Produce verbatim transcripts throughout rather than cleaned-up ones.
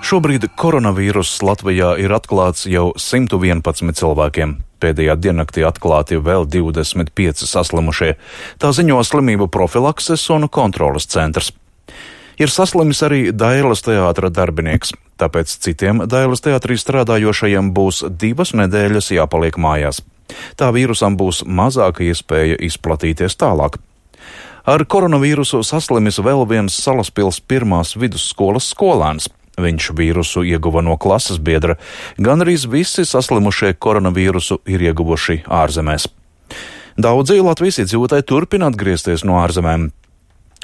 Šobrīd koronavīruss Latvijā ir atklāts jau simt vienpadsmit cilvēkiem. Pēdējā diennaktī atklāti vēl divdesmit pieci saslimušie. Tā ziņo slimību profilakses un kontroles centrs. Ir saslimis arī Dailes teātra darbinieks, tāpēc citiem Dailes teātrī strādājošajiem būs divas nedēļas jāpaliek mājās. Tā vīrusam būs mazāka iespēja izplatīties tālāk. Ar koronavīrusu saslimis vēl viens Salaspils pirmās vidusskolas skolēns. Viņš vīrusu ieguva no klases biedra. Gan arī visi saslimušie koronavīrusu ir ieguvuši ārzemēs. Daudzi Latvijas iedzīvotāji turpina atgriezties no ārzemēm.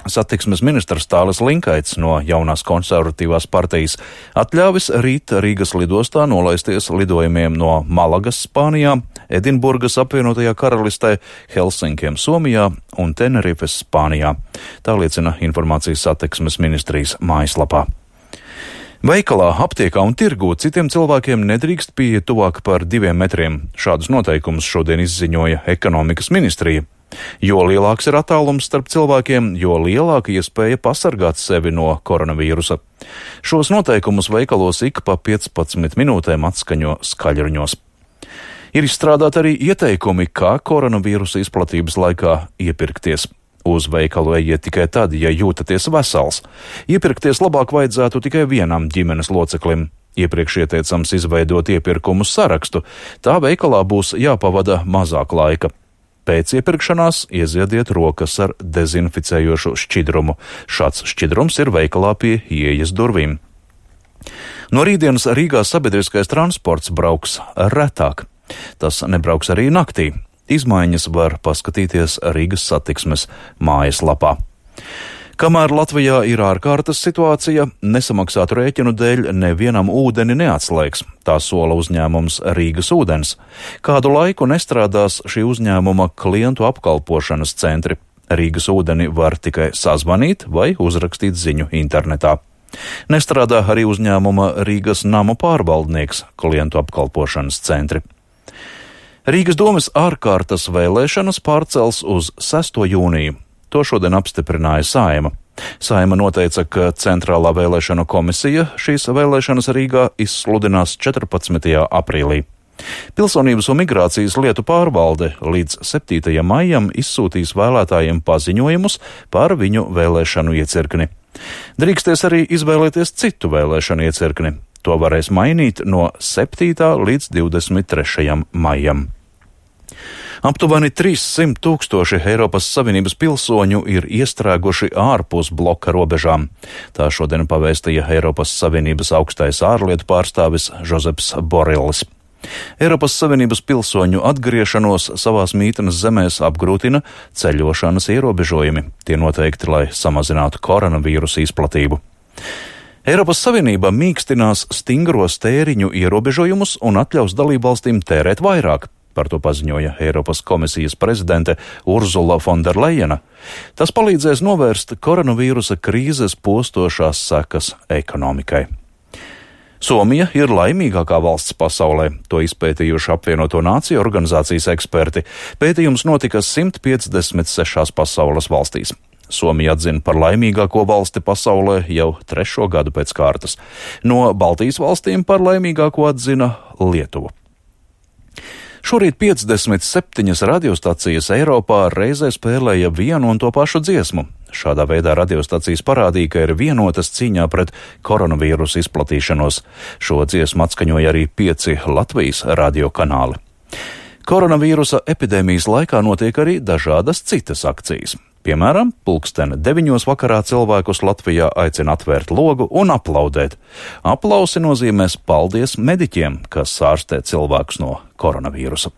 Satiksmes ministrs Tālis Linkaits no jaunās konservatīvās partijas atļāvis rīt Rīgas lidostā nolaisties lidojumiem no Malagas, Spānijā, Edinburgas apvienotajā karalistē, Helsinkiem, Somijā un Tenerifes, Spānijā. Tā liecina informācijas satiksmes ministrijas mājaslapā. Veikalā, aptiekā un tirgū citiem cilvēkiem nedrīkst pieiet tuvāk par diviem metriem. Šādus noteikumus šodien izziņoja ekonomikas ministrija. Jo lielāks ir attālums starp cilvēkiem, jo lielāka iespēja pasargāt sevi no koronavīrusa. Šos noteikumus veikalos ik pa piecpadsmit minūtēm atskaņo skaļruņos. Ir izstrādāti arī ieteikumi, kā koronavīrusa izplatības laikā iepirkties. Uz veikalu ejiet tikai tad, ja jūtaties vesels. Iepirkties labāk vajadzētu tikai vienam ģimenes loceklim. Iepriekš ieteicams izveidot iepirkumu sarakstu. Tā veikalā būs jāpavada mazāk laika. Pēc iepirkšanās ieziediet rokas ar dezinficējošu šķidrumu. Šāds šķidrums ir veikalā pie ieejas durvīm. No rītdienas Rīgā sabiedriskais transports brauks retāk. Tas nebrauks arī naktī. Izmaiņas var paskatīties Rīgas satiksmes mājaslapā. Kamēr Latvijā ir ārkārtas situācija, nesamaksātu rēķinu dēļ nevienam ūdeni neatslēgs. Tā sola uzņēmums Rīgas ūdens. Kādu laiku nestrādās šī uzņēmuma klientu apkalpošanas centri. Rīgas ūdeni var tikai sazvanīt vai uzrakstīt ziņu internetā. Nestrādā arī uzņēmuma Rīgas namu pārvaldnieks klientu apkalpošanas centri. Rīgas domes ārkārtas vēlēšanas pārcels uz sesto jūniju. To šodien apstiprināja Saeima. Saeima noteica, ka Centrālā vēlēšanu komisija šīs vēlēšanas Rīgā izsludinās četrpadsmitajā aprīlī. Pilsonības un migrācijas lietu pārvalde līdz septītajam maijam izsūtīs vēlētājiem paziņojumus par viņu vēlēšanu iecirkni. Drīksties arī izvēlēties citu vēlēšanu iecirkni. To varēs mainīt no septītā līdz divdesmit trešajam maijam. Aptuveni trīssimt tūkstoši Eiropas Savienības pilsoņu ir iestrēguši ārpus bloka robežām. Tā šodien pavēstīja Eiropas Savienības augstais ārlietu pārstāvis Žozeps Borellis. Eiropas Savienības pilsoņu atgriešanos savās mītnes zemēs apgrūtina ceļošanas ierobežojumi. Tie noteikti, lai samazinātu koronavīrusa izplatību. Eiropas Savienība mīkstinās stingros tēriņu ierobežojumus un atļaus dalībvalstīm tērēt vairāk. Par to paziņoja Eiropas komisijas prezidente Urzula Fonderlejena. Tas palīdzēs novērst koronavīrusa krīzes postošās sekas ekonomikai. Somija ir laimīgākā valsts pasaulē, to izpētījuši apvienoto nāciju organizācijas eksperti. Pētījums notika simt piecdesmit sešās pasaules valstīs. Somija atzina par laimīgāko valsti pasaulē jau trešo gadu pēc kārtas. No Baltijas valstīm par laimīgāko atzina Lietuvu. Šorīt piecdesmit septiņas radiostacijas Eiropā reizē spēlēja vienu un to pašu dziesmu. Šādā veidā radiostacijas parādīja, ka ir vienotas cīņā pret koronavīrusu izplatīšanos. Šo dziesmu atskaņoja arī pieci Latvijas radiokanāli. Koronavīrusa epidēmijas laikā notiek arī dažādas citas akcijas. Piemēram, pulksten deviņos vakarā cilvēkus Latvijā aicina atvērt logu un aplaudēt. Aplausi nozīmēs paldies mediķiem, kas ārstē cilvēkus no koronavīrusa.